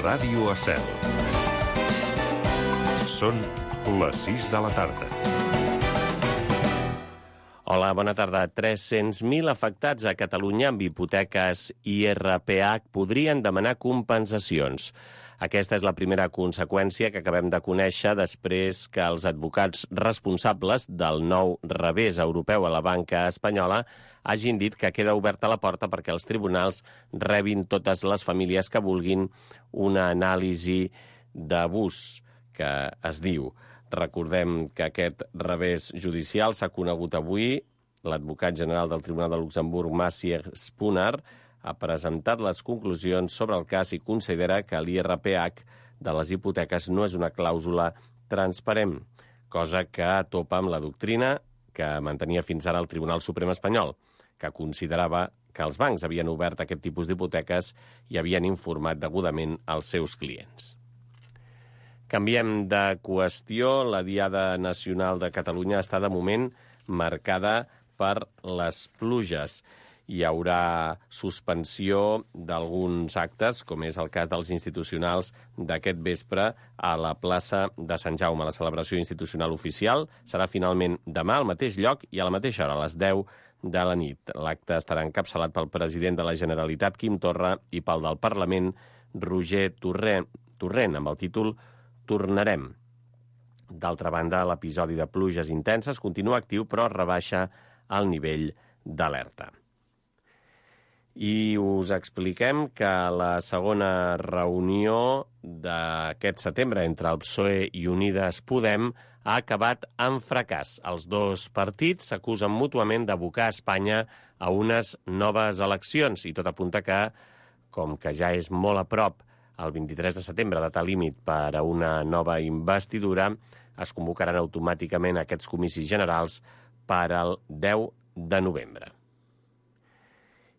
Ràdio Estel. Són les 6 de la tarda. Hola, bona tarda. 300.000 afectats a Catalunya amb hipoteques IRPH podrien demanar compensacions. Aquesta és la primera conseqüència que acabem de conèixer després que els advocats responsables del nou revés europeu a la banca espanyola hagin dit que queda oberta la porta perquè els tribunals rebin totes les famílies que vulguin una anàlisi d'abús, que es diu. Recordem que aquest revés judicial s'ha conegut avui. L'advocat general del Tribunal de Luxemburg, Maciej Spunar, ha presentat les conclusions sobre el cas i considera que l'IRPH de les hipoteques no és una clàusula transparent, cosa que topa amb la doctrina que mantenia fins ara el Tribunal Suprem espanyol, que considerava que els bancs havien obert aquest tipus d'hipoteques i havien informat degudament als seus clients. Canviem de qüestió. La Diada Nacional de Catalunya està de moment marcada per les pluges. Hi haurà suspensió d'alguns actes, com és el cas dels institucionals d'aquest vespre a la plaça de Sant Jaume. La celebració institucional oficial serà finalment demà al mateix lloc i a la mateixa hora, a les 10 de la nit. L'acte estarà encapçalat pel president de la Generalitat, Quim Torra, i pel del Parlament, Roger Torrent, amb el títol Tornarem. D'altra banda, l'episodi de pluges intenses continua actiu, però rebaixa el nivell d'alerta. I us expliquem que la segona reunió d'aquest setembre entre el PSOE i Unides Podem ha acabat amb fracàs. Els dos partits s'acusen mútuament d'abocar Espanya a unes noves eleccions i tot apunta que, com que ja és molt a prop el 23 de setembre, data límit per a una nova investidura, es convocaran automàticament aquests comicis generals per al 10 de novembre.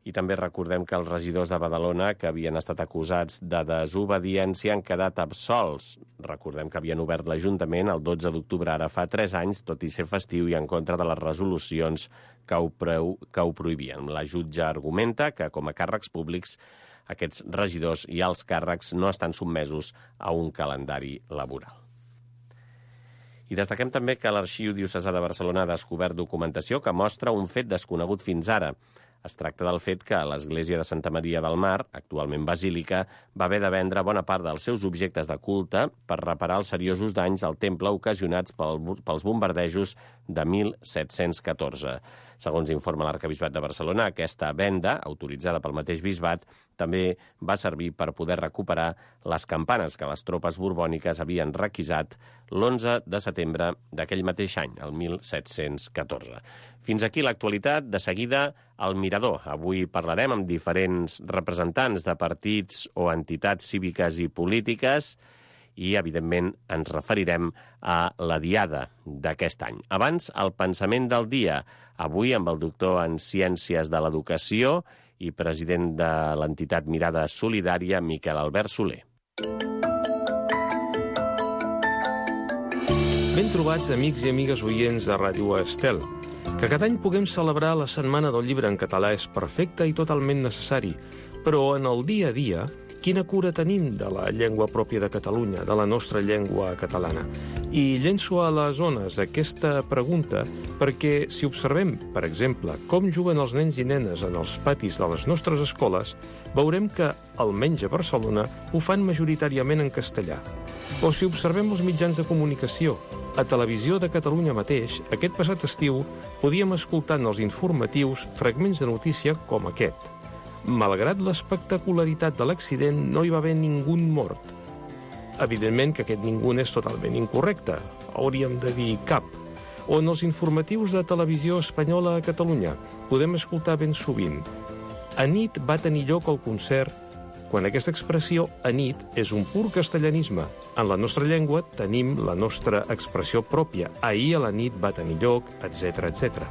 I també recordem que els regidors de Badalona, que havien estat acusats de desobediència, han quedat absolts. Recordem que havien obert l'Ajuntament el 12 d'octubre, ara fa 3 anys, tot i ser festiu i en contra de les resolucions que ho prohibien. La jutge argumenta que, com a càrrecs públics, aquests regidors i alts càrrecs no estan sotmesos a un calendari laboral. I destaquem també que l'Arxiu Diocesà de Barcelona ha descobert documentació que mostra un fet desconegut fins ara. Es tracta del fet que l'Església de Santa Maria del Mar, actualment basílica, va haver de vendre bona part dels seus objectes de culte per reparar els seriosos danys al temple ocasionats pels bombardejos de 1714. Segons informa l'Arquebisbat de Barcelona, aquesta venda, autoritzada pel mateix bisbat, també va servir per poder recuperar les campanes que les tropes borbòniques havien requisat l'11 de setembre d'aquell mateix any, el 1714. Fins aquí l'actualitat. De seguida, el Mirador. Avui parlarem amb diferents representants de partits o entitats cíviques i polítiques i, evidentment, ens referirem a la Diada d'aquest any. Abans, el pensament del dia. Avui amb el doctor en Ciències de l'Educació i president de l'entitat Mirada Solidària, Miquel Albert Soler. Ben trobats, amics i amigues oients de Ràdio Estel. Que cada any puguem celebrar la Setmana del Llibre en català és perfecte i totalment necessari, però en el dia a dia, quina cura tenim de la llengua pròpia de Catalunya, de la nostra llengua catalana? I llenço a les zones aquesta pregunta perquè si observem, per exemple, com juguen els nens i nenes en els patis de les nostres escoles, veurem que, almenys a Barcelona, ho fan majoritàriament en castellà. O si observem els mitjans de comunicació, a Televisió de Catalunya mateix, aquest passat estiu, podíem escoltar en els informatius fragments de notícia com aquest. Malgrat l'espectacularitat de l'accident, no hi va haver ningú mort. Evidentment que aquest ningú és totalment incorrecte. Hauríem de dir cap. O en els informatius de Televisió Espanyola a Catalunya podem escoltar ben sovint. Anit va tenir lloc el concert, quan aquesta expressió anit és un pur castellanisme. En la nostra llengua tenim la nostra expressió pròpia. Ahir a la nit va tenir lloc, etc etc.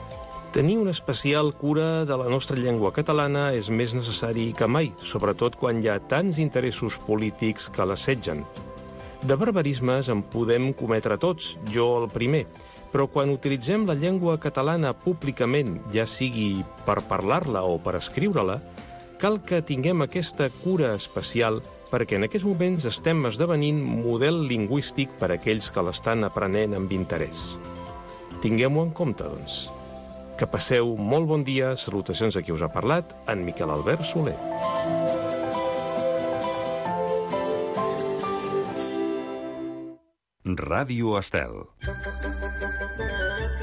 Tenir una especial cura de la nostra llengua catalana és més necessari que mai, sobretot quan hi ha tants interessos polítics que l'assetgen. De barbarismes en podem cometre tots, jo el primer, però quan utilitzem la llengua catalana públicament, ja sigui per parlar-la o per escriure-la, cal que tinguem aquesta cura especial perquè en aquests moments estem esdevenint model lingüístic per a aquells que l'estan aprenent amb interès. Tinguem-ho en compte, doncs. Que passeu molt bon dia. Salutacions a qui us ha parlat, en Miquel Albert Soler. Ràdio Estel.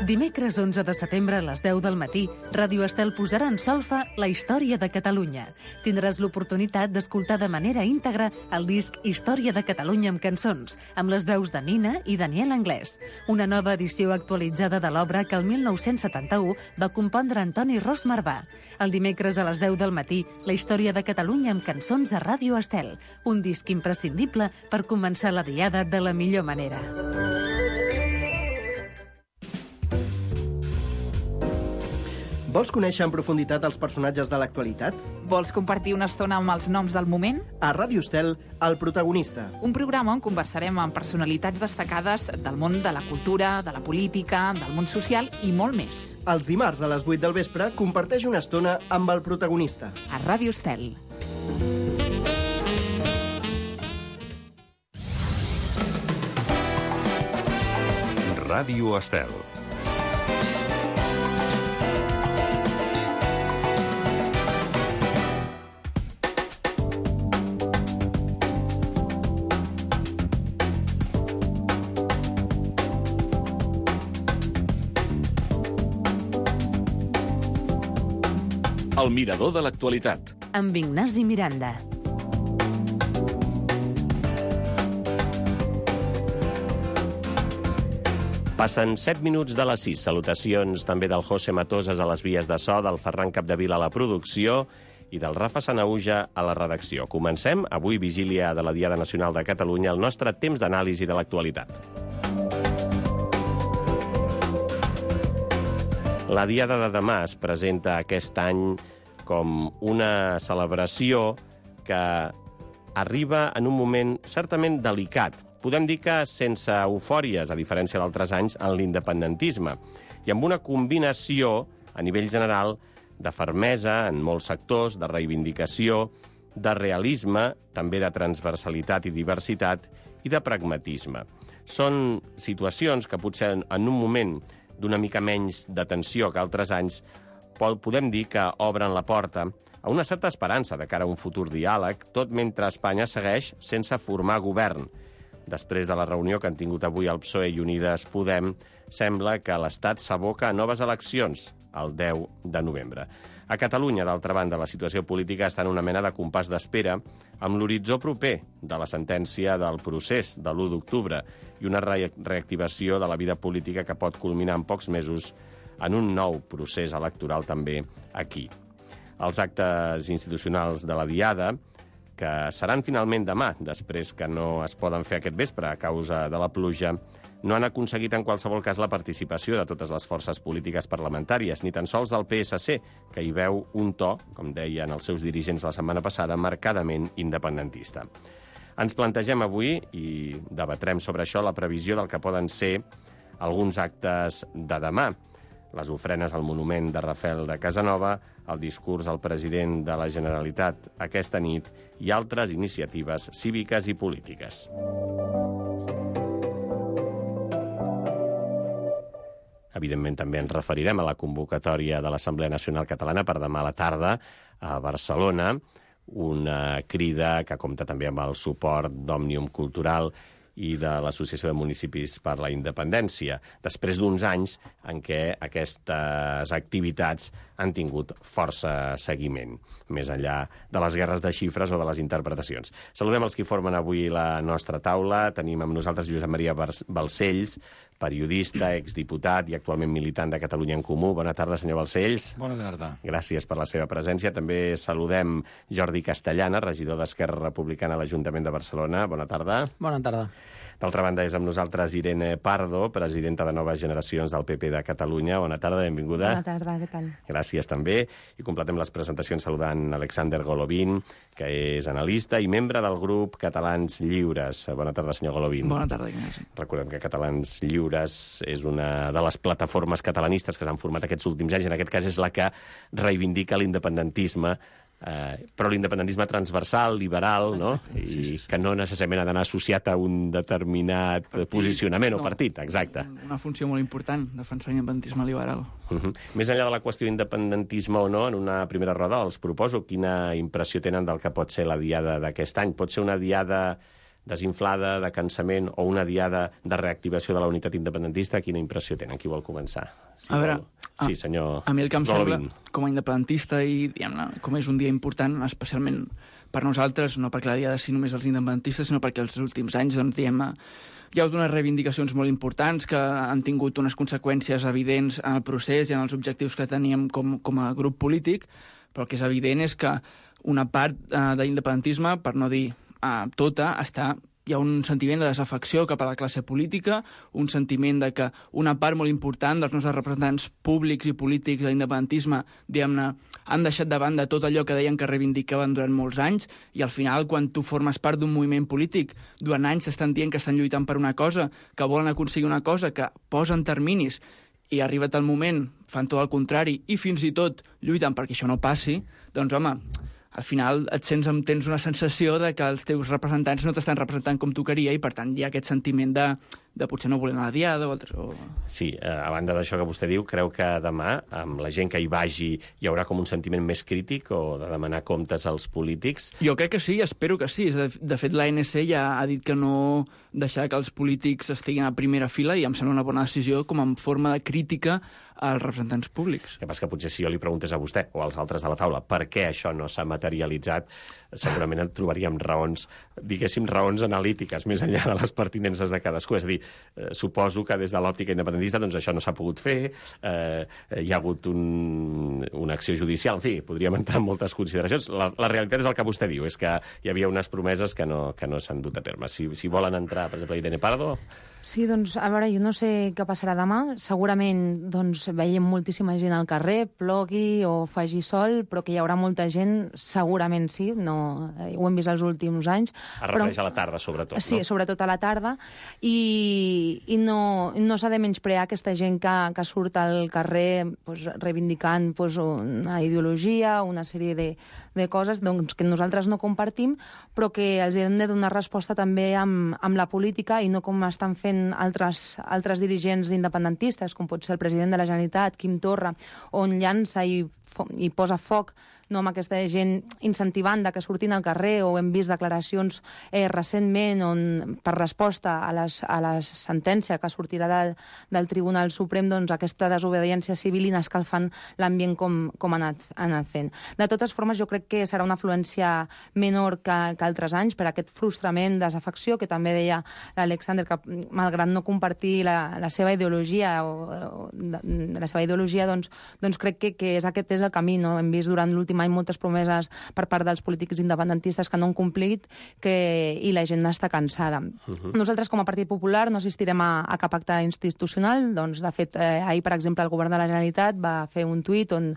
Dimecres 11 de setembre a les 10 del matí, Ràdio Estel posarà en solfa la història de Catalunya. Tindràs l'oportunitat d'escoltar de manera íntegra el disc Història de Catalunya amb cançons, amb les veus de Nina i Daniel Anglès. Una nova edició actualitzada de l'obra que el 1971 va compondre Antoni Ros Marvà. El dimecres a les 10 del matí, la història de Catalunya amb cançons a Ràdio Estel. Un disc imprescindible per començar la diada de la millor manera. Vols conèixer en profunditat els personatges de l'actualitat? Vols compartir una estona amb els noms del moment? A Ràdio Estel, El protagonista. Un programa on conversarem amb personalitats destacades del món de la cultura, de la política, del món social i molt més. Els dimarts a les 8 del vespre comparteix una estona amb El protagonista. A Ràdio Estel. Ràdio Estel. El mirador de l'actualitat. Amb Ignasi Miranda. Passen 7 minuts de les 6. Salutacions també del José Matoses a les vies de so, del Ferran Capdevila a la producció i del Rafa Sanauja a la redacció. Comencem, avui vigília de la Diada Nacional de Catalunya, el nostre temps d'anàlisi de l'actualitat. La Diada de demà es presenta aquest any com una celebració que arriba en un moment certament delicat. Podem dir que sense eufòries, a diferència d'altres anys, en l'independentisme, i amb una combinació, a nivell general, de fermesa en molts sectors, de reivindicació, de realisme, també de transversalitat i diversitat, i de pragmatisme. Són situacions que potser en un moment d'una mica menys de tensió que altres anys, podem dir que obren la porta a una certa esperança de cara a un futur diàleg, tot mentre Espanya segueix sense formar govern. Després de la reunió que han tingut avui el PSOE i Unides Podem, sembla que l'Estat s'aboca a noves eleccions el 10 de novembre. A Catalunya, d'altra banda, la situació política està en una mena de compàs d'espera amb l'horitzó proper de la sentència del procés de l'1 d'octubre i una reactivació de la vida política que pot culminar en pocs mesos en un nou procés electoral també aquí. Els actes institucionals de la Diada, que seran finalment demà, després que no es poden fer aquest vespre a causa de la pluja, no han aconseguit en qualsevol cas la participació de totes les forces polítiques parlamentàries, ni tan sols del PSC, que hi veu un to, com deien els seus dirigents la setmana passada, marcadament independentista. Ens plantegem avui, i debatrem sobre això, la previsió del que poden ser alguns actes de demà. Les ofrenes al monument de Rafel de Casanova, el discurs del president de la Generalitat aquesta nit i altres iniciatives cíviques i polítiques. Evidentment, també ens referirem a la convocatòria de l'Assemblea Nacional Catalana per demà a la tarda a Barcelona, una crida que compta també amb el suport d'Òmnium Cultural i de l'Associació de Municipis per la Independència, després d'uns anys en què aquestes activitats han tingut força seguiment, més enllà de les guerres de xifres o de les interpretacions. Saludem els que formen avui la nostra taula. Tenim amb nosaltres Josep Maria Balcells, periodista, exdiputat i actualment militant de Catalunya en Comú. Bona tarda, senyor Balcells. Bona tarda. Gràcies per la seva presència. També saludem Jordi Castellana, regidor d'Esquerra Republicana a l'Ajuntament de Barcelona. Bona tarda. Bona tarda. D'altra banda, és amb nosaltres Irene Pardo, presidenta de Noves Generacions del PP de Catalunya. Bona tarda, benvinguda. Bona tarda, què tal? Gràcies també. I completem les presentacions saludant Alexander Golovin, que és analista i membre del grup Catalans Lliures. Bona tarda, senyor Golovin. Bona tarda, Ignasi. Recordem que Catalans Lliures és una de les plataformes catalanistes que s'han format aquests últims anys. En aquest cas és la que reivindica l'independentisme però l'independentisme transversal, liberal, no? I que no necessàriament ha d'anar associat a un determinat posicionament o partit, exacte. Una funció molt important, defensar l'independentisme liberal. Més enllà de la qüestió d'independentisme o no, en una primera roda els proposo quina impressió tenen del que pot ser la diada d'aquest any. Pot ser una diada desinflada, de cansament, o una diada de reactivació de la unitat independentista? Quina impressió tenen? Qui vol començar? A veure, sí, senyor a mi el que em sembla, Golovin, com a independentista, i diguem-ne, com és un dia important, especialment per nosaltres, no perquè la diada sigui només els independentistes, sinó perquè els últims anys, doncs, diguem-ne, hi ha hagut unes reivindicacions molt importants que han tingut unes conseqüències evidents en el procés i en els objectius que teníem com a grup polític, però el que és evident és que una part de l'independentisme, per no dir tota, hi ha un sentiment de desafecció cap a la classe política, un sentiment de que una part molt important dels nostres representants públics i polítics de l'independentisme, diguem-ne, han deixat de banda tot allò que deien que reivindicaven durant molts anys, i al final, quan tu formes part d'un moviment polític, durant anys s'estan dient que estan lluitant per una cosa, que volen aconseguir una cosa, que posen terminis, i arribat el moment, fan tot el contrari, i fins i tot lluiten perquè això no passi, doncs, home, al final tens una sensació de que els teus representants no t'estan representant com tu queria, i per tant hi ha aquest sentiment de potser no voler anar a la diada o altres... Sí, a banda d'això que vostè diu, creu que demà, amb la gent que hi vagi, hi haurà com un sentiment més crític o de demanar comptes als polítics? Jo crec que sí, espero que sí. De fet, l'ANC ja ha dit que no deixarà que els polítics estiguin a primera fila, i em sembla una bona decisió com en forma de crítica als representants públics. El que passa que potser si jo li preguntés a vostè o als altres de la taula per què això no s'ha materialitzat, segurament en trobaríem raons, diguéssim, raons analítiques, més enllà de les pertinences de cadascú. És a dir, suposo que des de l'òptica independentista doncs això no s'ha pogut fer, hi ha hagut una acció judicial, en fi, podríem entrar en moltes consideracions. La realitat és el que vostè diu, és que hi havia unes promeses que no s'han dut a terme. Si volen entrar, per exemple, Irene Pardo... Sí, doncs, a veure, jo no sé què passarà demà. Segurament, doncs, veiem moltíssima gent al carrer, plogui o faci sol, però que hi haurà molta gent, segurament sí, no, ho hem vist els últims anys. Es refereix a la tarda, sobretot, no? Sí, sobretot a la tarda, i no s'ha de menysprear aquesta gent que surt al carrer doncs, reivindicant doncs, una ideologia, una sèrie de coses doncs, que nosaltres no compartim, però que els hem de donar resposta també amb la política, i no com estan fent altres dirigents independentistes, com pot ser el president de la Generalitat, Quim Torra, on llança i posa foc no amb aquesta gent incentivant que surtin al carrer, o hem vist declaracions recentment on, per resposta a la sentència que sortirà del Tribunal Suprem, doncs aquesta desobediència civil i anar escalfant l'ambient com ha anat fent. De totes formes, jo crec que serà una afluència menor que altres anys per aquest frustrament, desafecció, que també deia l'Alexander, que malgrat no compartir la seva ideologia, doncs crec que aquest és el camí, no? Hem vist durant l'últim any moltes promeses per part dels polítics independentistes que no han complit i la gent està cansada. Nosaltres, com a Partit Popular, no assistirem a cap acte institucional. Doncs, de fet, ahir, per exemple, el govern de la Generalitat va fer un tuit on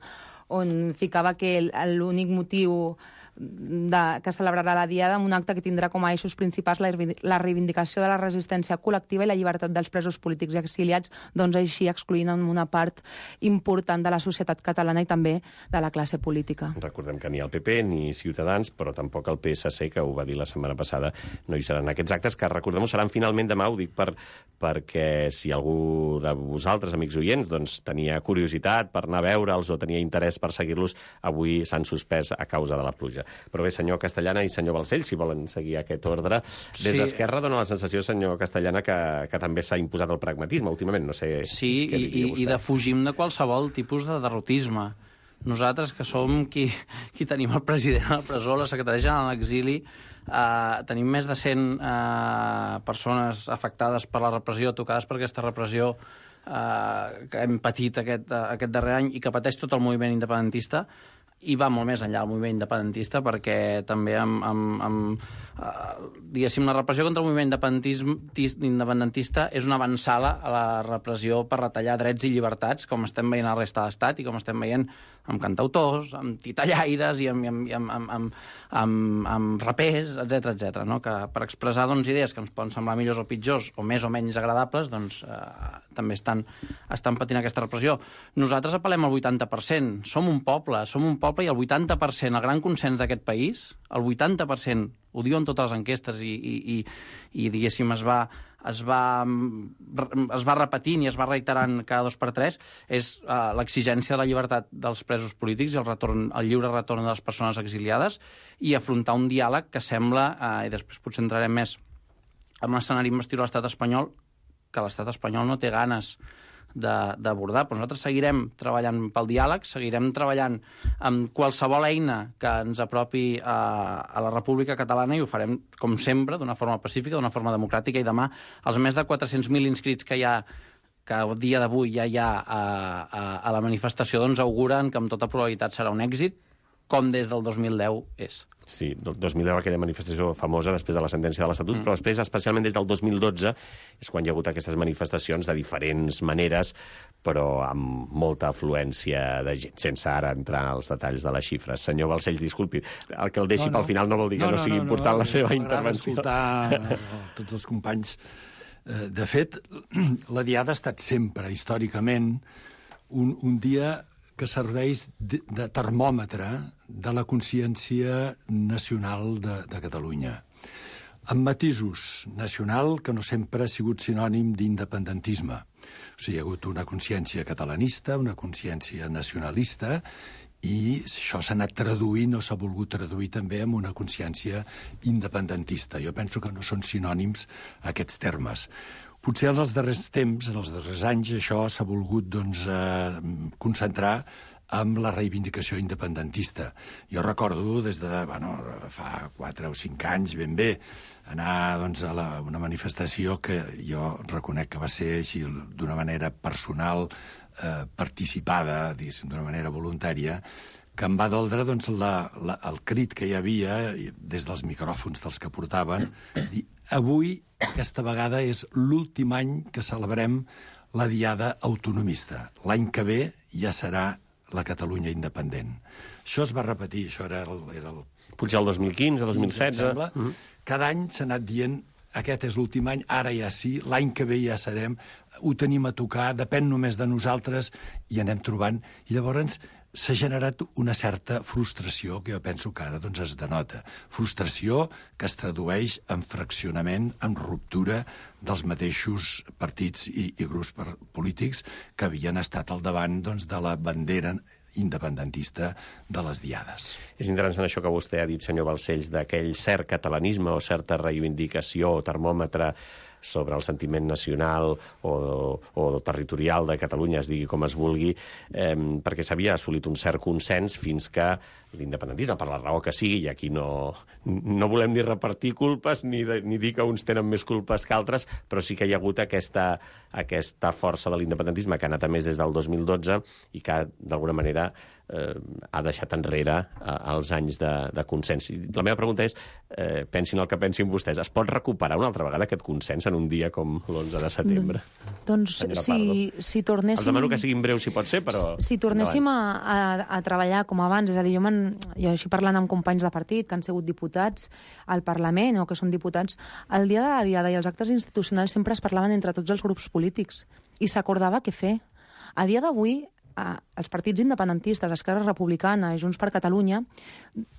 ficava que l'únic motiu que celebrarà la Diada amb un acte que tindrà com a eixos principals la reivindicació de la resistència col·lectiva i la llibertat dels presos polítics i exiliats, doncs així excloent una part important de la societat catalana i també de la classe política. Recordem que ni el PP ni Ciutadans, però tampoc el PSC, que ho va dir la setmana passada, no hi seran aquests actes, que recordem-ho seran finalment demà, ho dic perquè si algú de vosaltres, amics oients, doncs tenia curiositat per anar a veure'ls o tenia interès per seguir-los, avui s'han suspès a causa de la pluja. Però bé, senyor Castellana i senyor Balcells, si volen seguir aquest ordre. Des d'Esquerra dona la sensació, senyor Castellana, que també s'ha imposat el pragmatisme últimament, no sé... Sí, i defugim de qualsevol tipus de derrotisme. Nosaltres, que som qui tenim el president a la presó, la secretària general a l'exili, tenim més de 100 persones afectades per la repressió, tocades per aquesta repressió que hem patit aquest darrer any i que pateix tot el moviment independentista, i va molt més enllà del moviment independentista, perquè també diguéssim, la repressió contra el moviment independentista és una avançada a la repressió per retallar drets i llibertats, com estem veient a la resta de l'Estat i com estem veient amb cantautors, amb titellaires i amb rapers, etc, no? Que per expressar idees que ens poden semblar millors o pitjors o més o menys agradables, doncs també estan patint aquesta repressió. Nosaltres apel·lem al 80%. Som un poble poble i el 80%, el gran consens d'aquest país, el 80%, ho diuen totes les enquestes i diguéssim, es va repetint i es va reiterant cada 2 per 3, és l'exigència de la llibertat dels presos polítics i el lliure retorn de les persones exiliades i afrontar un diàleg que sembla, i després potser entrarem més en l'escenari investit a l'estat espanyol, que l'estat espanyol no té ganes d'abordar. Però nosaltres seguirem treballant pel diàleg, seguirem treballant amb qualsevol eina que ens apropi a la República Catalana i ho farem, com sempre, d'una forma pacífica, d'una forma democràtica, i demà els més de 400.000 inscrits que hi ha, que a dia d'avui ja hi ha a la manifestació, doncs auguren que amb tota probabilitat serà un èxit, com des del 2010 és. Sí, 2010 aquella manifestació famosa després de la sentència de l'Estatut, però després, especialment des del 2012, és quan hi ha hagut aquestes manifestacions de diferents maneres, però amb molta afluència de gent, sense ara entrar als detalls de les xifres. Senyor Balcells, disculpi, el que el deixi pel final no vol dir que no sigui important la seva intervenció. M'agrada escoltar tots els companys. De fet, la Diada ha estat sempre, històricament, un dia que serveix de termòmetre de la consciència nacional de Catalunya. Amb matisos, nacional que no sempre ha sigut sinònim d'independentisme. O sigui, hi ha hagut una consciència catalanista, una consciència nacionalista, i això s'ha anat traduint o s'ha volgut traduir també amb una consciència independentista. Jo penso que no són sinònims aquests termes. Potser en els darrers temps, en els darrers anys, això s'ha volgut concentrar amb la reivindicació independentista. Jo recordo des de fa 4 o 5 anys, ben bé, anar a una manifestació que jo reconec que va ser així d'una manera personal, participada, d'una manera voluntària, que em va doldre el crit que hi havia des dels micròfons dels que portaven, dir, avui, aquesta vegada, és l'últim any que celebrem la Diada autonomista. L'any que ve ja serà la Catalunya independent. Això es va repetir, això era el... Potser el 2015 o 2016. Cada any s'ha anat dient aquest és l'últim any, ara ja sí, l'any que ve ja serem, ho tenim a tocar, depèn només de nosaltres, i anem trobant. I llavors s'ha generat una certa frustració que jo penso que ara es denota. Frustració que es tradueix en fraccionament, en ruptura dels mateixos partits i grups polítics que havien estat al davant de la bandera independentista de les Diades. És interessant això que vostè ha dit, senyor Balcells, d'aquell cert catalanisme o certa reivindicació o termòmetre sobre el sentiment nacional o territorial de Catalunya, es digui com es vulgui, perquè s'havia assolit un cert consens fins que l'independentisme, per la raó que sigui, i aquí no volem ni repartir culpes ni dir que uns tenen més culpes que altres, però sí que hi ha hagut aquesta força de l'independentisme que ha anat a més des del 2012 i que, d'alguna manera, ha deixat enrere els anys de consens. La meva pregunta és, pensin el que pensin vostès, es pot recuperar una altra vegada aquest consens en un dia com l'11 de setembre? Doncs si tornéssim... Els demano que siguin breus si pot ser, però... Si tornéssim a treballar com abans, és a dir, jo així parlant amb companys de partit que han sigut diputats al Parlament o que són diputats, el dia de la Diada i els actes institucionals sempre es parlaven entre tots els grups polítics i s'acordava què fer. A dia d'avui, els partits independentistes, Esquerra Republicana i Junts per Catalunya,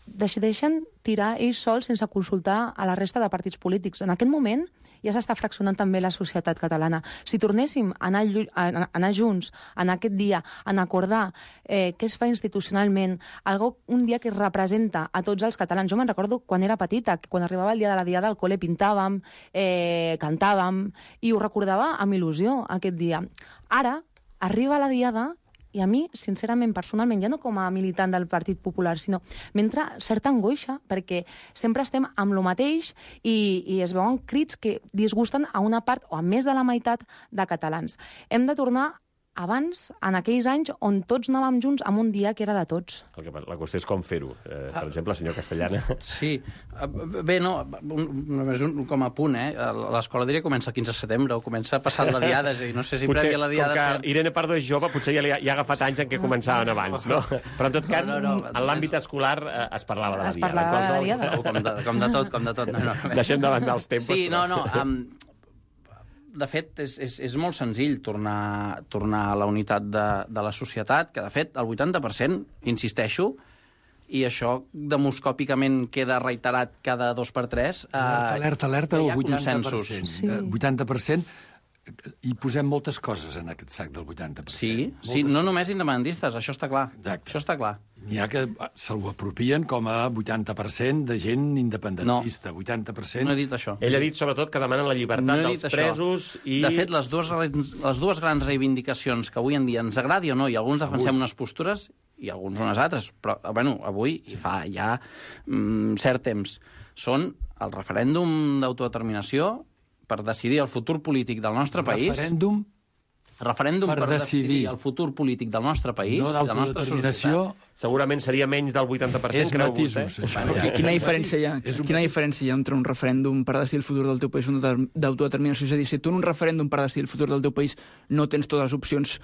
decideixen tirar ells sols sense consultar a la resta de partits polítics. En aquest moment ja s'està fraccionant també la societat catalana. Si tornéssim a anar junts en aquest dia, en acordar què es fa institucionalment, un dia que representa a tots els catalans. Jo me'n recordo quan era petita, que quan arribava el dia de la Diada al col·le pintàvem, cantàvem, i ho recordava amb il·lusió aquest dia. Ara arriba la Diada i a mi, sincerament, personalment, ja no com a militant del Partit Popular, sinó m'entra certa angoixa, perquè sempre estem amb lo mateix i es veuen crits que disgusten a una part o a més de la meitat de catalans. Hem de tornar abans, en aquells anys on tots anàvem junts en un dia que era de tots. La qüestió és com fer-ho. Per exemple, senyor Castellana. Sí. Bé, no, només com a punt, l'escola diria comença el 15 de setembre o comença passant la Diada, és a dir, no sé si prèvia la Diada... Com que Irene Pardo és jove, potser ja ha agafat anys en què començaven abans, no? Però en tot cas, en l'àmbit escolar es parlava de la Diada. Es parlava de la Diada. Com de tot. Deixem de banda els tempos. Sí, de fet, és molt senzill tornar a la unitat de la societat, que, de fet, el 80%, insisteixo, i això demoscòpicament queda reiterat cada 2x3. Alerta, hi ha 80%. consensos. 80%, i posem moltes coses en aquest sac del 80%. Sí, no només independentistes, això està clar. Exacte. Això està clar. N'hi ha que se'l apropien com a 80% de gent independentista. 80%... No he dit això. Ell ha dit, sobretot, que demanen la llibertat dels presos i... De fet, les dues grans reivindicacions que avui en dia ens agradi o no, i alguns defensem unes postures i alguns unes altres, però, bueno, avui, i fa ja cert temps, són el referèndum d'autodeterminació per decidir el futur polític del nostre país. Referèndum per decidir el futur polític del nostre país, no de la nostra societat. Segurament seria menys del 80%, creu vostè? Quina diferència hi ha entre un referèndum per decidir el futur del teu país i un d'autodeterminació? És a dir, si tu en un referèndum per decidir el futur del teu país no tens totes les opcions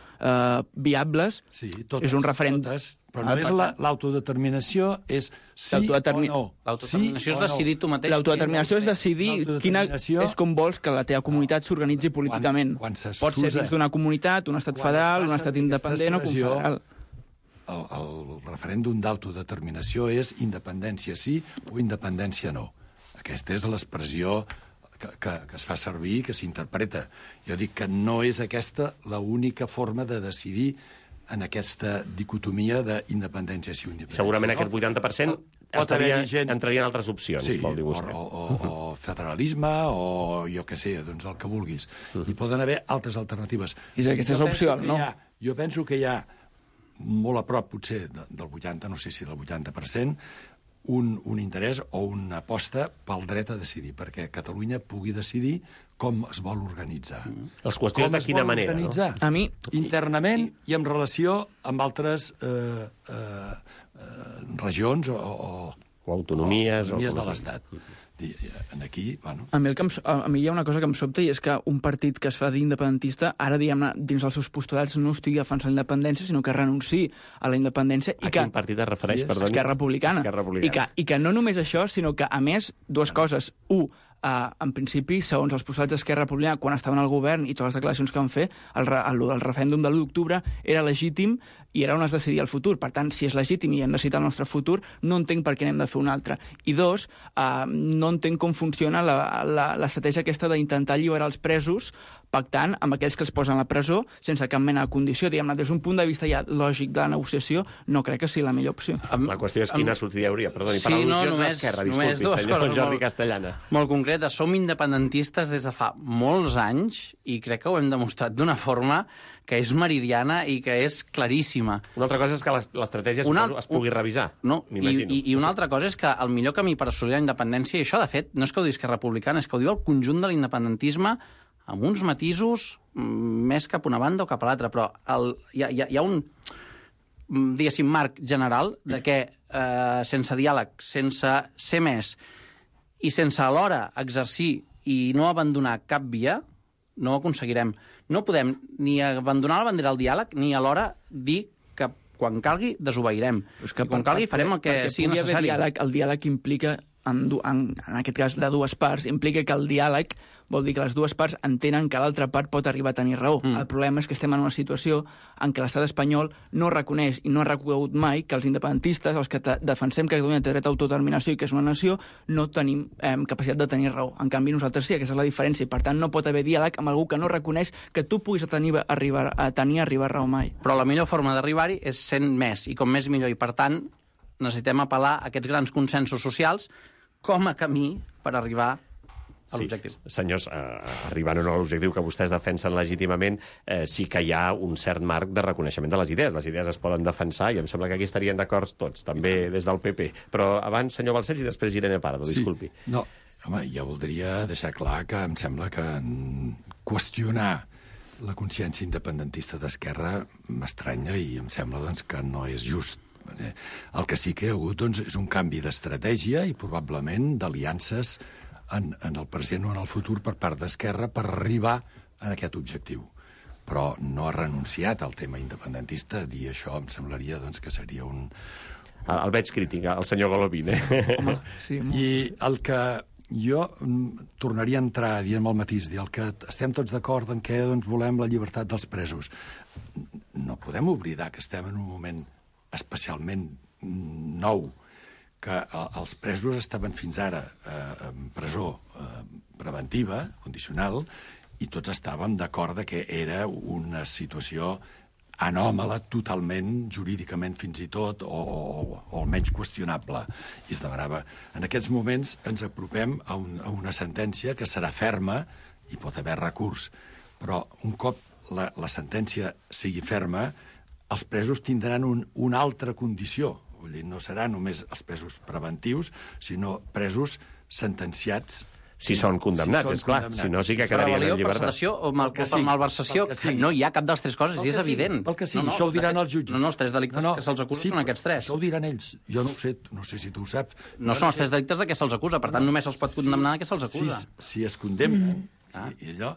viables, és un referèndum... Però no és l'autodeterminació, és sí o no. L'autodeterminació és decidir tu mateix. L'autodeterminació és decidir és com vols que la teva comunitat s'organitzi políticament. Pot ser dins d'una comunitat, un estat federal, un estat independent o confederal. El referèndum d'autodeterminació és independència sí o independència no. Aquesta és l'expressió que es fa servir, que s'interpreta. Jo dic que no és aquesta l'única forma de decidir en aquesta dicotomia d'independència sí o independència. Segurament aquest 80% entraria en altres opcions, vol dir vostè. O federalisme, o jo què sé, doncs el que vulguis. Hi poden haver altres alternatives. I aquesta és l'opció, no? Jo penso que hi ha molt a prop, potser, del 80%, no sé si del 80%, un interès o una aposta pel dret a decidir, perquè Catalunya pugui decidir com es vol organitzar. Les qüestions de quina manera, no? A mi... Internament i en relació amb altres regions o autonomies de l'Estat. Aquí, bueno... A mi hi ha una cosa que em sobta, i és que un partit que es fa d'independentista, ara, diguem-ne, dins els seus postulats no estigui defensant la independència, sinó que renunciï a la independència. A quin partit es refereix, perdoni? Esquerra Republicana. I que no només això, sinó que, a més, dues coses. En principi, segons els postulats d'Esquerra Republicana, quan estaven al govern i totes les declaracions que van fer, el referèndum de l'1 d'octubre era legítim i era on es decidia el futur. Per tant, si és legítim i hem decidit el nostre futur, no entenc per què n'hem de fer un altre. I dos, no entenc com funciona l'estratègia aquesta d'intentar alliberar els presos pactant amb aquells que els posen a la presó sense cap mena de condició. Diguem-ne, des d'un punt de vista ja lògic de la negociació, no crec que sigui la millor opció. La qüestió és quina sortida hi hauria. Perdoni, per al·lusions a l'Esquerra, disculpi, senyor Jordi Castellana. Molt concreta, som independentistes des de fa molts anys i crec que ho hem demostrat d'una forma que és meridiana i que és claríssima. Una altra cosa és que l'estratègia es pugui revisar, m'imagino. I una altra cosa és que el millor camí per assolir la independència, i això, de fet, no és que ho digui Esquerra Republicana, és que ho diu el conjunt de l'independentisme amb uns matisos més cap a una banda o cap a l'altra, però hi ha un, diguéssim, marc general de que sense diàleg, sense ser més i sense alhora exercir i no abandonar cap via, no ho aconseguirem. No podem ni abandonar la bandera al diàleg ni alhora dir que quan calgui desobeirem. Quan calgui farem el que sigui necessari. El diàleg implica, en aquest cas de dues parts, implica que el diàleg vol dir que les dues parts entenen que l'altra part pot arribar a tenir raó. El problema és que estem en una situació en què l'estat espanyol no reconeix i no ha reconegut mai que els independentistes, els que defensem que Catalunya té dret a autodeterminació i que és una nació, no tenim capacitat de tenir raó. En canvi, nosaltres sí, aquesta és la diferència. I, per tant, no pot haver diàleg amb algú que no reconeix que tu puguis arribar a raó mai. Però la millor forma d'arribar-hi és sent més, i com més millor. I, per tant, necessitem apel·lar a aquests grans consensos socials com a camí per arribar a l'objectiu. Senyors, arribant o no a l'objectiu que vostès defensen legítimament, sí que hi ha un cert marc de reconeixement de les idees. Les idees es poden defensar i em sembla que aquí estarien d'acord tots, també des del PP. Però abans, senyor Balcells, i després Irene Pardo, disculpi. No, home, jo voldria deixar clar que em sembla que qüestionar la consciència independentista d'Esquerra m'estranya i em sembla doncs, que no és just. El que sí que hi ha hagut doncs, és un canvi d'estratègia i probablement d'aliances en el present o en el futur per part d'Esquerra per arribar a aquest objectiu. Però no ha renunciat al tema independentista. Dir això em semblaria doncs, que seria un... El veig crític, el senyor Golovin. Home, sí, I el que jo tornaria a entrar dient el matís, dir el que estem tots d'acord en què doncs, volem la llibertat dels presos. No podem oblidar que estem en un moment especialment nou, que els presos estaven fins ara en presó preventiva, condicional, i tots estàvem d'acord que era una situació anòmala totalment, jurídicament fins i tot, o almenys qüestionable. I es demanava. En aquests moments ens apropem a una sentència que serà ferma i pot haver recurs. Però un cop la sentència sigui ferma, els presos tindran una altra condició. Vull dir, no seran només els presos preventius, sinó presos sentenciats. Si són condemnats, és clar. Si no, sí que quedarien en llibertat. Per sedació o malversació, no hi ha cap de les tres coses, i és evident. Pel que sí, això ho diran els jutges. No, els tres delictes que se'ls acusa són aquests tres. Això ho diran ells. Jo no ho sé, no sé si tu ho saps. No són els tres delictes de què se'ls acusa, per tant només se'ls pot condemnar de què se'ls acusa. Si es condemnen, i allò,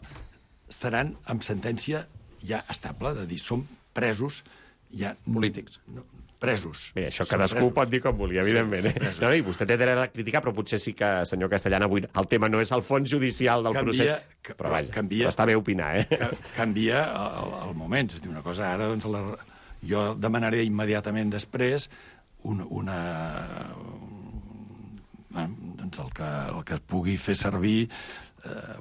estaran amb sentència ja estable, de dir, som presos ja... Polítics. Presos. Bé, això cadascú pot dir com vulgui, evidentment. No, i vostè té dret a criticar, però potser sí que, senyor Castellana, avui el tema no és el fons judicial del procés. Però vaja, però està bé opinar, Canvia el moment. És a dir, una cosa, ara doncs, jo demanaré immediatament després doncs el que es pugui fer servir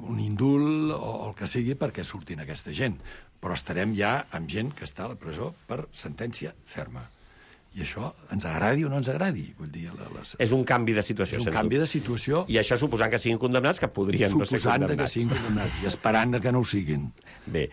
un indult o el que sigui perquè surtin aquesta gent. Però estarem ja amb gent que està a la presó per sentència ferma. I això ens agradi o no ens agradi. Vull dir, és un canvi de situació. És un canvi de situació. I això suposant que siguin condemnats, que podrien no ser condemnats. Suposant que siguin condemnats i esperant que no ho siguin. Bé,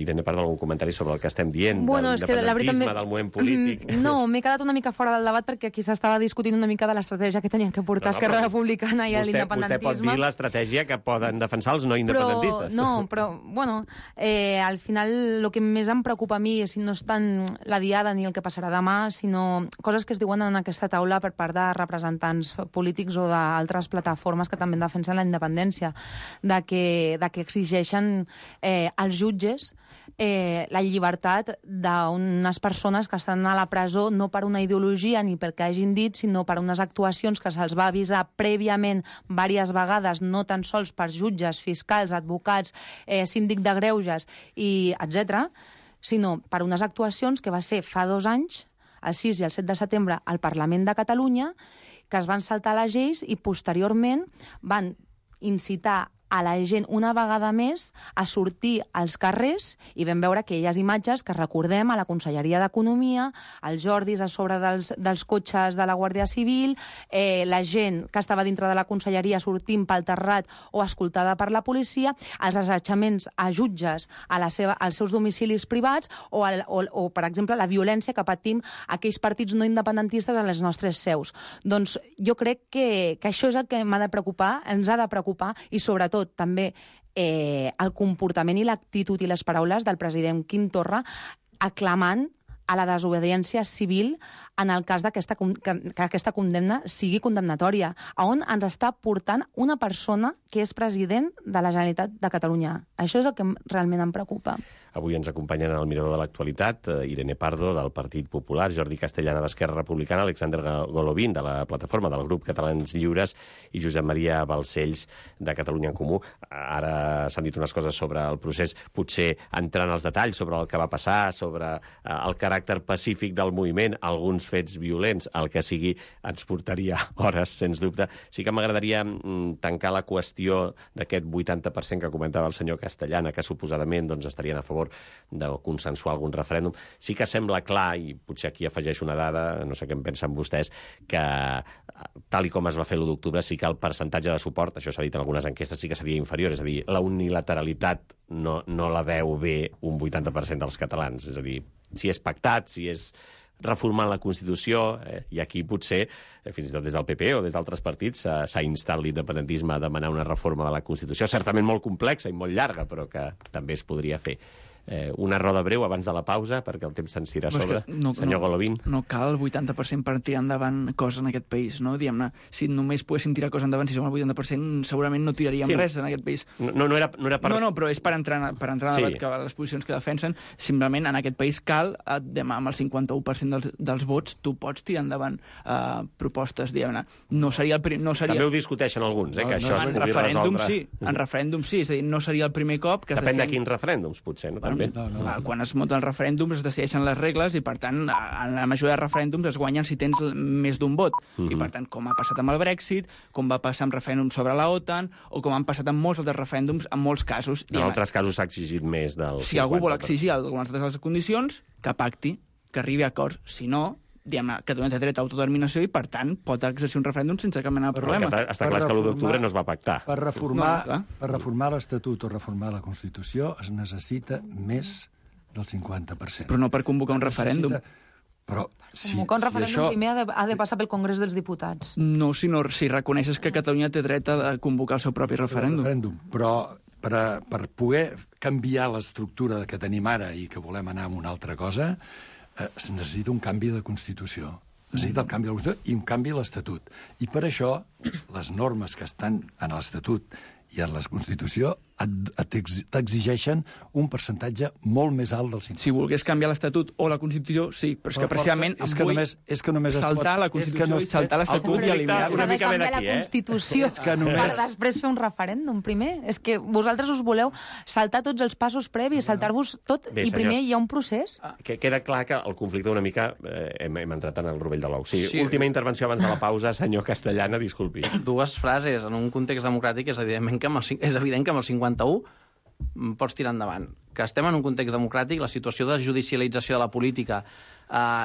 Irene, parla algun comentari sobre el que estem dient, de l'independentisme, del moviment polític. No, m'he quedat una mica fora del debat perquè aquí s'estava discutint una mica de l'estratègia que tenien que portar Esquerra Republicana i l'independentisme. Vostè pot dir l'estratègia que poden defensar els no independentistes. Però, bueno, al final el que més em preocupa a mi no és tant la diada ni el que passarà demà, sinó coses que es diuen en aquesta taula per part de representants polítics o d'altres plataformes que també defensen la independència, de que exigeixen als jutges la llibertat d'unes persones que estan a la presó no per una ideologia ni perquè hagin dit, sinó per unes actuacions que se'ls va avisar prèviament diverses vegades, no tan sols per jutges, fiscals, advocats, síndic de greuges, i etc., sinó per unes actuacions que va ser fa 2 anys, el 6 i el 7 de setembre, al Parlament de Catalunya, que es van saltar les lleis i posteriorment van incitar a la gent una vegada més a sortir als carrers i vam veure aquelles imatges que recordem a la Conselleria d'Economia, els Jordis a sobre dels cotxes de la Guàrdia Civil, la gent que estava dintre de la Conselleria sortint pel terrat o escoltada per la policia, els assetjaments a jutges als seus domicilis privats o, per exemple, la violència que patim aquells partits no independentistes a les nostres seus. Doncs jo crec que això és el que m'ha de preocupar, ens ha de preocupar, i sobretot també el comportament i l'actitud i les paraules del president Quim Torra aclamant a la desobediència civil en el cas que aquesta condemna sigui condemnatòria, on ens està portant una persona que és president de la Generalitat de Catalunya. Això és el que realment em preocupa. Avui ens acompanyen al Mirador de l'Actualitat Irene Pardo, del Partit Popular, Jordi Castellana, d'Esquerra Republicana, Alexander Golovin, de la plataforma del grup Catalans Lliures, i Josep Maria Balcells, de Catalunya en Comú. Ara s'han dit unes coses sobre el procés, potser entrant als detalls sobre el que va passar, sobre el caràcter pacífic del moviment, alguns fets violents, el que sigui, ens portaria hores, sens dubte. Sí que m'agradaria tancar la qüestió d'aquest 80% que comentava el senyor Castellana, que suposadament estarien a favor de consensuar algun referèndum. Sí que sembla clar, i potser aquí afegeixo una dada, no sé què en pensen vostès, que tal i com es va fer l'1 d'octubre, sí que el percentatge de suport, això s'ha dit en algunes enquestes, sí que seria inferior, és a dir, la unilateralitat no la veu bé un 80% dels catalans. És a dir, si és pactat, si és reformant la Constitució, i aquí potser, fins i tot des del PP o des d'altres partits, s'ha instat l'independentisme a demanar una reforma de la Constitució, certament molt complexa i molt llarga, però que també es podria fer. Una roda breu abans de la pausa, perquè el temps se'ns tira a sobre. Senyor Golovin. No cal el 80% per tirar endavant coses en aquest país, no? Diguem-ne, si només poguéssim tirar coses endavant, si som el 80%, segurament no tiraríem res en aquest país. No era per... No, però és per entrar en debat, que les posicions que defensen, simplement en aquest país cal, demà amb el 51% dels vots, tu pots tirar endavant propostes, diguem-ne. No seria el primer... També ho discuteixen alguns, que això es pugui resoldre. En referèndum sí, és a dir, no seria el primer cop que... Depèn de quins referèndums, potser, no? també. Quan es munten els referèndums es decideixen les regles i, per tant, en la majoria de referèndums es guanyen si tens més d'un vot. I, per tant, com ha passat amb el Brexit, com va passar amb referèndums sobre la OTAN, o com han passat amb molts altres referèndums, en molts casos. En altres casos s'ha exigit més del 50%. Si algú vol exigir algunes de les condicions, que pacti, que arribi a acords. Si no, diguem-ne, Catalunya té dret a autodeterminació i, per tant, pot exercir un referèndum sense cap mena de problema. Està clar que l'1 d'octubre no es va pactar. Per reformar l'Estatut o reformar la Constitució es necessita més del 50%. Però no per convocar un referèndum. Però convocar un referèndum primer ha de passar pel Congrés dels Diputats. No, sinó si reconeixes que Catalunya té dret a convocar el seu propi referèndum. Però per poder canviar l'estructura que tenim ara i que volem anar a una altra cosa, es necessita un canvi de Constitució. Necessita el canvi de la Constitució i un canvi a l'Estatut. I per això, les normes que estan en l'Estatut i en la Constitució t'exigeixen un percentatge molt més alt del 50%. Si volgués canviar l'Estatut o la Constitució, sí, però és que precisament és que només saltar la Constitució i saltar l'Estatut i eliminar una mica ben aquí, la Constitució per després fer un referèndum primer. És que vosaltres us voleu saltar tots els passos previs, saltar-vos tot, i primer hi ha un procés. Queda clar que el conflicte una mica hem entrat en el rovell de l'ou. Sí, última intervenció abans de la pausa, senyor Castellana, disculpi. Dues frases. En un context democràtic és evident que amb el 51 pots tirar endavant. Que estem en un context democràtic, la situació de judicialització de la política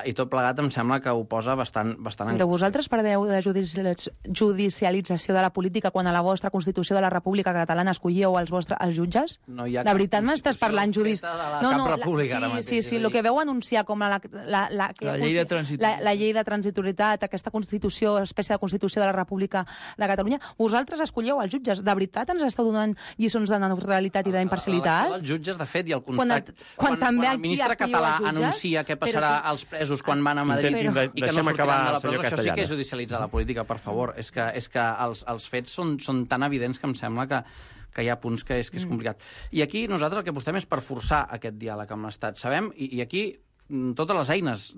i tot plegat em sembla que ho posa bastant Però vosaltres perdeu de judicialització de la política quan a la vostra Constitució de la República Catalana escollíeu els jutges? No hi ha de veritat m'estàs parlant Sí, el que veu anunciar com la llei de transitorietat, la llei de transitorietat, aquesta Constitució, espècie de Constitució de la República de Catalunya, vosaltres escollíeu els jutges. De veritat ens esteu donant lliçons de neutralitat i d'imparcialitat? Els jutges, de fet, i el constat... Quan el ministre català anuncia què passarà als presos quan van a Madrid i que no sortiran de la presó, això sí que és judicialitzar la política, per favor. És que els fets són tan evidents que em sembla que hi ha punts que és complicat. I aquí nosaltres el que apostem és per forçar aquest diàleg amb l'Estat. Sabem, i aquí totes les eines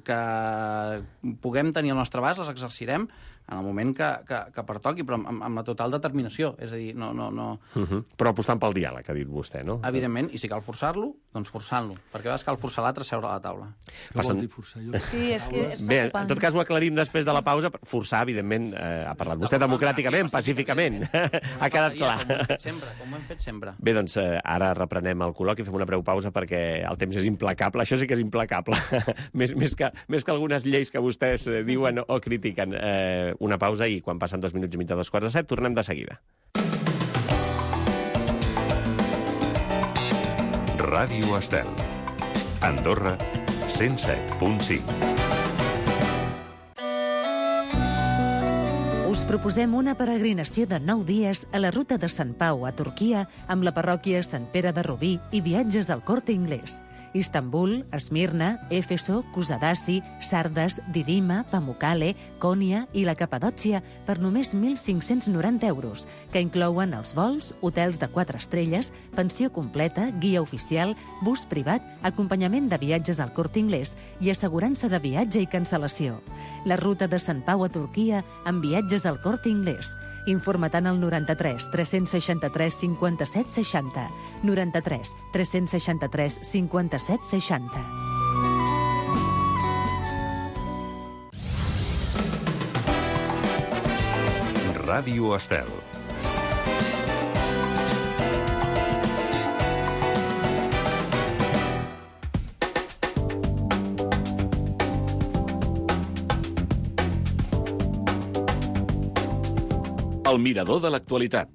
que puguem tenir al nostre abast les exercirem en el moment que pertoqui, però amb la total determinació. És a dir, no... Però apostant pel diàleg, ha dit vostè, no? Evidentment, i si cal forçar-lo, doncs forçant-lo. Perquè a vegades cal forçar l'altre a seure a la taula. Què vol dir forçar? Sí, és que... Bé, en tot cas ho aclarim després de la pausa. Forçar, evidentment, ha parlat vostè democràticament, pacíficament. Ha quedat clar. Com ho hem fet sempre. Bé, doncs ara reprenem el col·loqui, fem una breu pausa perquè el temps és implacable. Això sí que és implacable. més que algunes lleis que vostès diuen o critiquen. Una pausa i quan passen 2 minuts i mig de 2:45 tornem de seguida. Ràdio Estel. Andorra, 107.5. Us proposem una peregrinació de 9 dies a la ruta de Sant Pau a Turquia amb la parròquia Sant Pere de Rubí i viatges al Corte Inglés. Istanbul, Esmirna, Éfeso, Kusadasi, Sardes, Didima, Pamukkale, Konya i la Capadòcia per només 1.590 euros, que inclouen els vols, hotels de 4 estrelles, pensió completa, guia oficial, bus privat, acompanyament de viatges al Corte Inglés i assegurança de viatge i cancel·lació. La ruta de Sant Pau a Turquia amb viatges al Corte Inglés. Informa't al 93 363 57 60. 93 363 57 60. Ràdio Estel. El mirador de l'actualitat.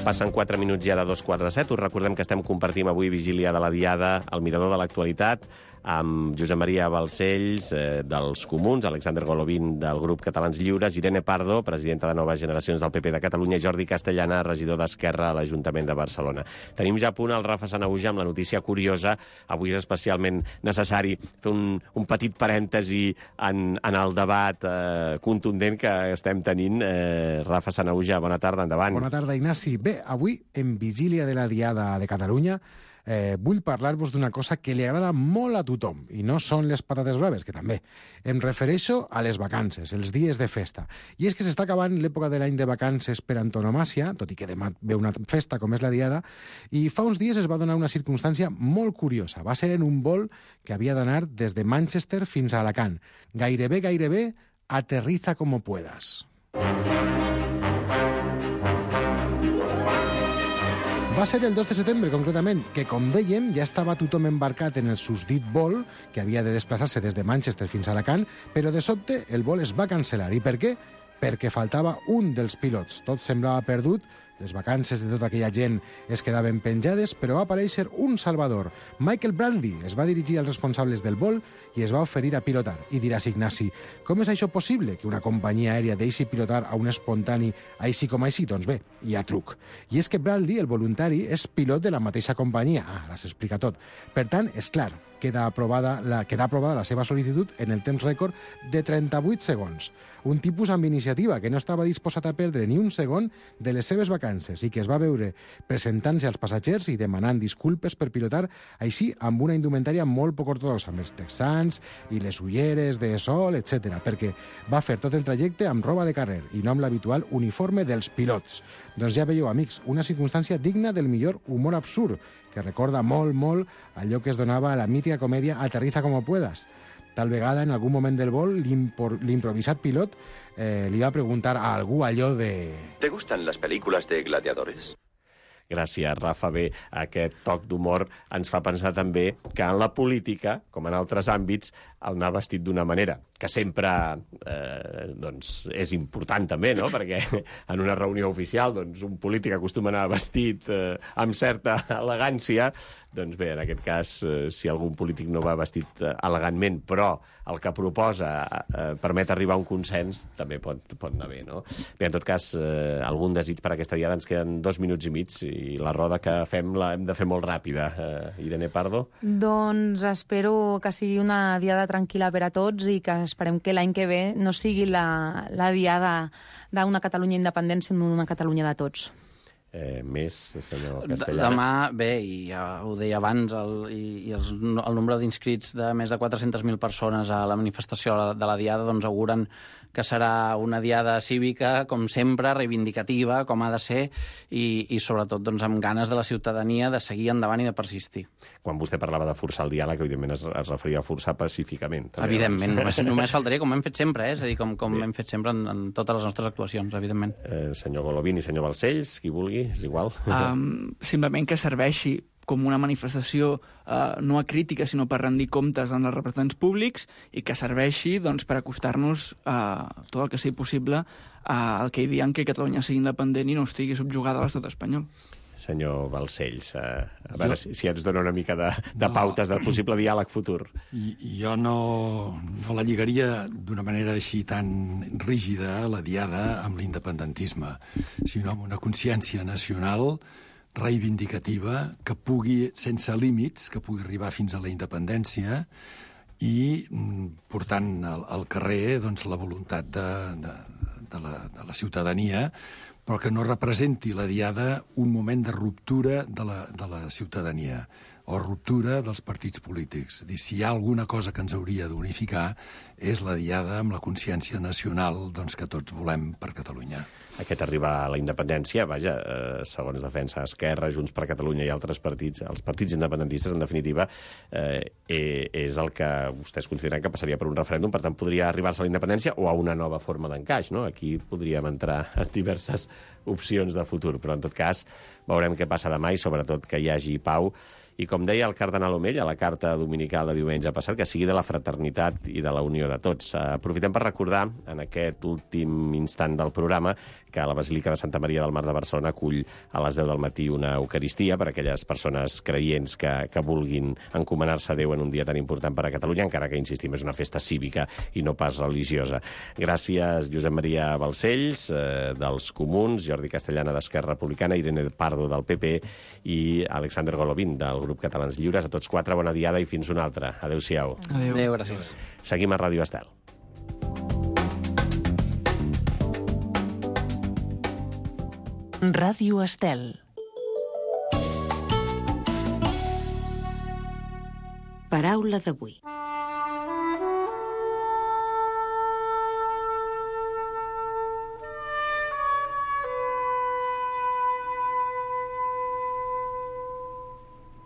Passen 4 minuts ja de 2:47. Us recordem que estem compartint avui vigília de la Diada al mirador de l'actualitat amb Josep Maria Balcells, dels Comuns, Alexander Golovin, del grup Catalans Lliures, Irene Pardo, presidenta de Noves Generacions del PP de Catalunya, i Jordi Castellana, regidor d'Esquerra a l'Ajuntament de Barcelona. Tenim ja a punt el Rafa Sanahuja amb la notícia curiosa. Avui és especialment necessari fer un petit parèntesi en el debat contundent que estem tenint. Rafa Sanahuja, bona tarda, endavant. Bona tarda, Ignasi. Bé, avui, en vigília de la Diada de Catalunya, vull parlar-vos d'una cosa que li agrada molt a tothom, i no són les patates braves, que també. Em refereixo a les vacances, els dies de festa. I és que s'està acabant l'època de l'any de vacances per antonomàsia, tot i que demà ve una festa com és la Diada, i fa uns dies es va donar una circumstància molt curiosa. Va ser en un vol que havia d'anar des de Manchester fins a Alacant. Gairebé, aterriza como puedas. Va ser el 2 de setembre, concretament, que, com dèiem, ja estava tothom embarcat en el susdit vol, que havia de desplaçar-se des de Manchester fins a Alacant, però de sobte el vol es va cancel·lar. I per què? Perquè faltava un dels pilots. Tot semblava perdut, les vacances de tota aquella gent es quedaven penjades, però va aparèixer un salvador. Michael Brandy es va dirigir als responsables del vol i es va oferir a pilotar. I diràs, Ignasi, com és això possible, que una companyia aèria deixi pilotar a un espontani així com així? Doncs bé, hi ha truc. I és que Brandy, el voluntari, és pilot de la mateixa companyia. Ara s'explica tot. Per tant, és clar, queda aprovada la seva sol·licitud en el temps rècord de 38 segons. Un tipus amb iniciativa que no estava disposat a perdre ni un segon de les seves vacances i que es va veure presentant-se als passatgers i demanant disculpes per pilotar així amb una indumentària molt poc ortodoxa, amb els texans i les ulleres de sol, etc. perquè va fer tot el trajecte amb roba de carrer i no amb l'habitual uniforme dels pilots. Doncs ja veieu, amics, una circumstància digna del millor humor absurd, que recorda molt allò que es donava a la mítica comèdia Aterriza como puedas. Tal vegada, en algun moment del vol, l'improvisat pilot li va preguntar a algú allò de... ¿Te gustan las películas de gladiadores? Gràcies, Rafa. Bé, aquest toc d'humor ens fa pensar també que en la política, com en altres àmbits, el anar vestit d'una manera, que sempre doncs, és important també, no? Perquè en una reunió oficial doncs, un polític acostuma a anar vestit amb certa elegància. Doncs bé, en aquest cas, si algun polític no va vestit elegantment, però el que proposa permet arribar a un consens, també pot anar bé, no? Bé, en tot cas, algun desig per aquesta diada. Ens queden 2 minuts i mig i la roda que fem l'hem de fer molt ràpida. Irene Pardo? Doncs espero que sigui una diada tranquil·la per a tots i que esperem que l'any que ve no sigui la diada d'una Catalunya independent, sinó d'una Catalunya de tots. Més, senyor Castellana? Demà, bé, i ja ho deia abans, el nombre d'inscrits de més de 400.000 persones a la manifestació de la Diada doncs auguren que serà una diada cívica, com sempre, reivindicativa, com ha de ser, i sobretot doncs, amb ganes de la ciutadania de seguir endavant i de persistir. Quan vostè parlava de forçar el diàleg, evidentment es referia a forçar pacíficament. També, evidentment, només faltaria, com hem fet sempre, és a dir, com hem fet sempre en totes les nostres actuacions, evidentment. Senyor Golovin i senyor Balcells, qui vulgui, és igual. Simplement que serveixi com una manifestació no acrítica, sinó per rendir comptes als representants públics i que serveixi doncs, per acostar-nos tot el que sigui possible al que hi diuen que Catalunya sigui independent i no estigui subjugada a l'estat espanyol. Senyor Balcells, a veure si ens dona una mica de pautes de possible diàleg futur. Jo no la lligaria d'una manera així tan rígida, la diada, amb l'independentisme, sinó amb una consciència nacional reivindicativa que pugui, sense límits, que pugui arribar fins a la independència i portant al carrer doncs, la voluntat de la ciutadania, però que no representi la diada un moment de ruptura de la ciutadania o ruptura dels partits polítics. Si hi ha alguna cosa que ens hauria d'unificar és la diada amb la consciència nacional doncs, que tots volem per Catalunya. Aquest arribar a la independència, vaja, segons Defensa Esquerra, Junts per Catalunya i altres partits, els partits independentistes, en definitiva, és el que vostès consideren que passaria per un referèndum, per tant, podria arribar-se a la independència o a una nova forma d'encaix, no? Aquí podríem entrar en diverses opcions de futur, però en tot cas veurem què passa demà i sobretot que hi hagi pau. I com deia el cardenal Omell a la carta dominical de diumenge passat, que sigui de la fraternitat i de la unió de tots. Aprofitem per recordar, en aquest últim instant del programa, que la Basílica de Santa Maria del Mar de Barcelona acull a les 10 del matí una Eucaristia per a aquelles persones creients que vulguin encomanar-se a Déu en un dia tan important per a Catalunya, encara que, insistim, és una festa cívica i no pas religiosa. Gràcies, Josep Maria Balcells, dels Comuns, Jordi Castellana, d'Esquerra Republicana, Irene Pardo, del PP, i Alexander Golovin, del Grup Catalans Lliures. A tots 4, bona diada i fins una altra. Adéu-siau. Adéu, gràcies. Seguim a Ràdio Estel. Ràdio Estel. Paraula d'avui.